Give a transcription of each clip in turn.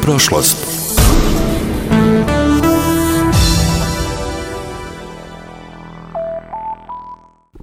prošlost.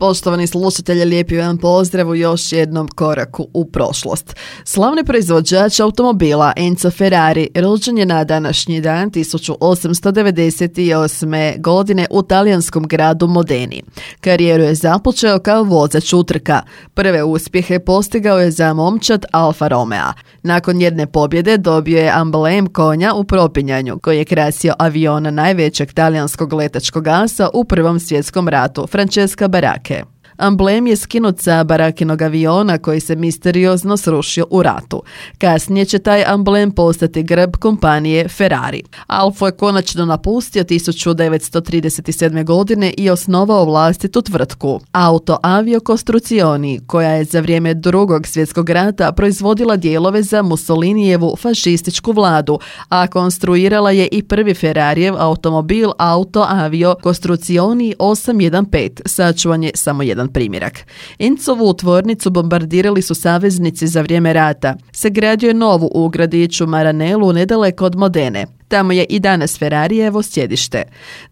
Poštovani slušatelji, lijepi vam pozdrav u još jednom koraku u prošlost. Slavni proizvođač automobila Enzo Ferrari rođen je na današnji dan 1898. godine u talijanskom gradu Modeni. Karijeru je započeo kao vozač utrka. Prve uspjehe postigao je za momčad Alfa Romea. Nakon jedne pobjede dobio je amblem konja u propinjanju koji je krasio aviona najvećeg talijanskog letačkog asa u Prvom svjetskom ratu, Francesca Baracche. Amblem je skinut sa Barakinog aviona koji se misteriozno srušio u ratu. Kasnije će taj amblem postati grb kompanije Ferrari. Alfa je konačno napustio 1937. godine i osnovao vlastitu tvrtku Auto Avio Costruzioni, koja je za vrijeme Drugog svjetskog rata proizvodila dijelove za Mussolinijevu fašističku vladu, a konstruirala je i prvi Ferrarijev automobil Auto Avio Costruzioni 815, sačuvan je samo jedan primjerak. Enzovu tvornicu bombardirali su saveznici za vrijeme rata. Sagradio je novu u gradiću Maranellu nedaleko od Modene. Tamo je i danas Ferrarijevo sjedište.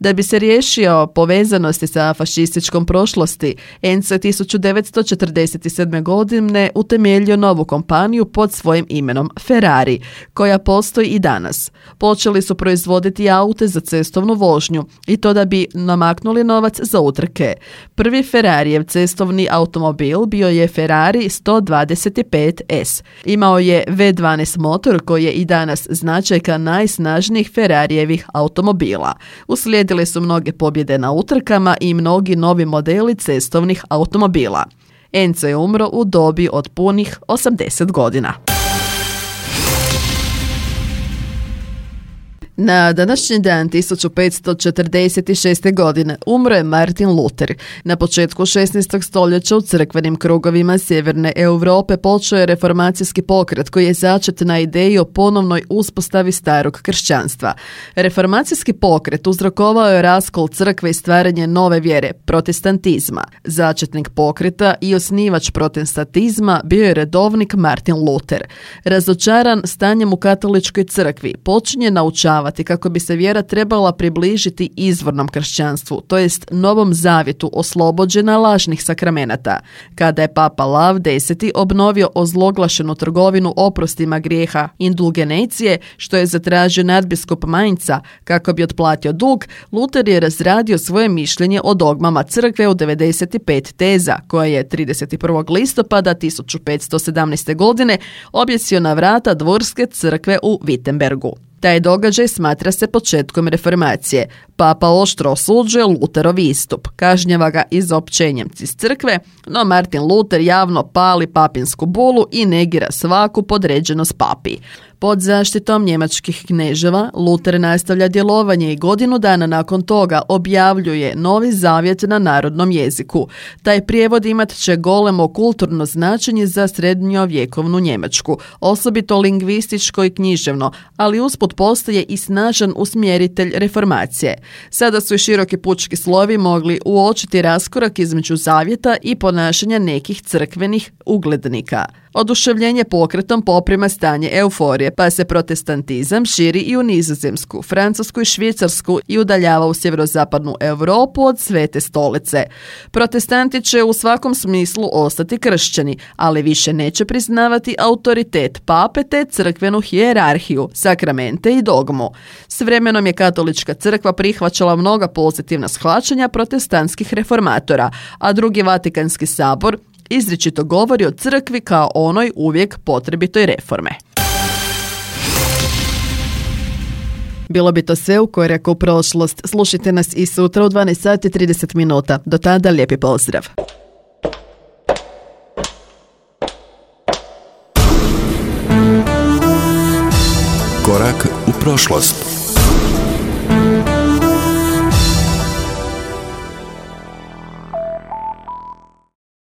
Da bi se riješio povezanosti sa fašističkom prošlosti, Enzo je 1947. godine utemeljio novu kompaniju pod svojim imenom Ferrari, koja postoji i danas. Počeli su proizvoditi aute za cestovnu vožnju i to da bi namaknuli novac za utrke. Prvi Ferrarijev cestovni automobil bio je Ferrari 125S. Imao je V12 motor koji je i danas značajka najsnažnijih Ferrarijevih automobila. Uslijedile su mnoge pobjede na utrkama i mnogi novi modeli cestovnih automobila. Enzo je umro u dobi od punih 80 godina. Na današnji dan 1546. godine umro je Martin Luther. Na početku 16. stoljeća u crkvenim krugovima sjeverne Europe počeo je reformacijski pokret koji je začet na ideji o ponovnoj uspostavi starog kršćanstva. Reformacijski pokret uzrokovao je raskol crkve i stvaranje nove vjere, protestantizma. Začetnik pokreta i osnivač protestantizma bio je redovnik Martin Luther. Razočaran stanjem u katoličkoj crkvi, počinje naučavati kako bi se vjera trebala približiti izvornom kršćanstvu, to jest Novom zavjetu oslobođena lažnih sakramenata. Kada je Papa Lav X obnovio ozloglašenu trgovinu oprostima grijeha indulgencije, što je zatražio nadbiskup Mainca kako bi otplatio dug, Luther je razradio svoje mišljenje o dogmama crkve u 95 teza, koje je 31. listopada 1517. godine objesio na vrata dvorske crkve u Wittenbergu. Taj događaj smatra se početkom reformacije. Papa oštro osuđuje Lutherov istup, kažnjava ga izopćenjem iz crkve, no Martin Luther javno pali papinsku bulu i negira svaku podređenost papi. Pod zaštitom njemačkih kneževa, Luther nastavlja djelovanje i godinu dana nakon toga objavljuje Novi zavjet na narodnom jeziku. Taj prijevod imat će golemo kulturno značenje za srednjovjekovnu Njemačku, osobito lingvističko i književno, ali usput postaje i snažan usmjeritelj reformacije. Sada su i široki pučki slovi mogli uočiti raskorak između zavjeta i ponašanja nekih crkvenih uglednika. Oduševljenje pokretom poprima stanje euforije, pa se protestantizam širi i u Nizozemsku, Francusku i Švicarsku i udaljava u sjeverozapadnu Europu od Svete stolice. Protestanti će u svakom smislu ostati kršćani, ali više neće priznavati autoritet pape te crkvenu hijerarhiju, sakramente i dogmu. S vremenom je katolička crkva prihvaćala mnoga pozitivna shvaćanja protestantskih reformatora, a Drugi Vatikanski sabor izričito govori o crkvi kao onoj uvijek potrebitoj reforme. Bilo bi to sve u koraku u prošlost. Slušajte nas i sutra u 12:30. Do tada lijepi pozdrav. Korak u prošlost.